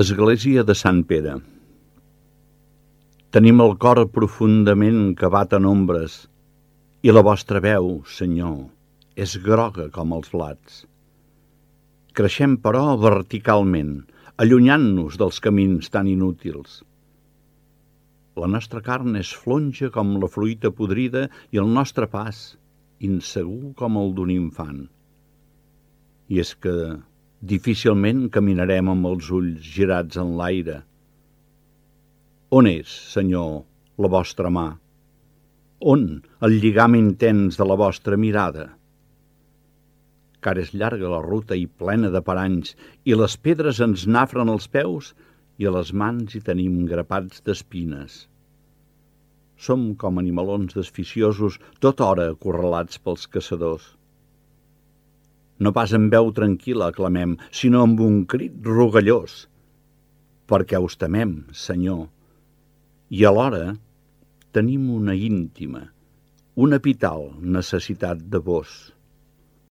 Església de Sant Pere. Tenim el cor profundament cavat en ombres, i la vostra veu, Senyor, és groga com els blats. Creixem, però, verticalment, allunyant-nos dels camins tan inútils. La nostra carn és flonja com la fruita podrida i el nostre pas, insegur com el d'un infant. I és que difícilment caminarem amb els ulls girats en l'aire. On és, Senyor, la vostra mà? On el lligam intens de la vostra mirada? Car és llarga la ruta i plena de paranys, i les pedres ens nafren els peus i a les mans hi tenim grapats d'espines. Som com animalons desficiosos, tota hora acorralats pels caçadors. No pas amb veu tranquil·la aclamem, sinó amb un crit rogallós, perquè us temem, Senyor, i alhora tenim una íntima, una vital necessitat de vos.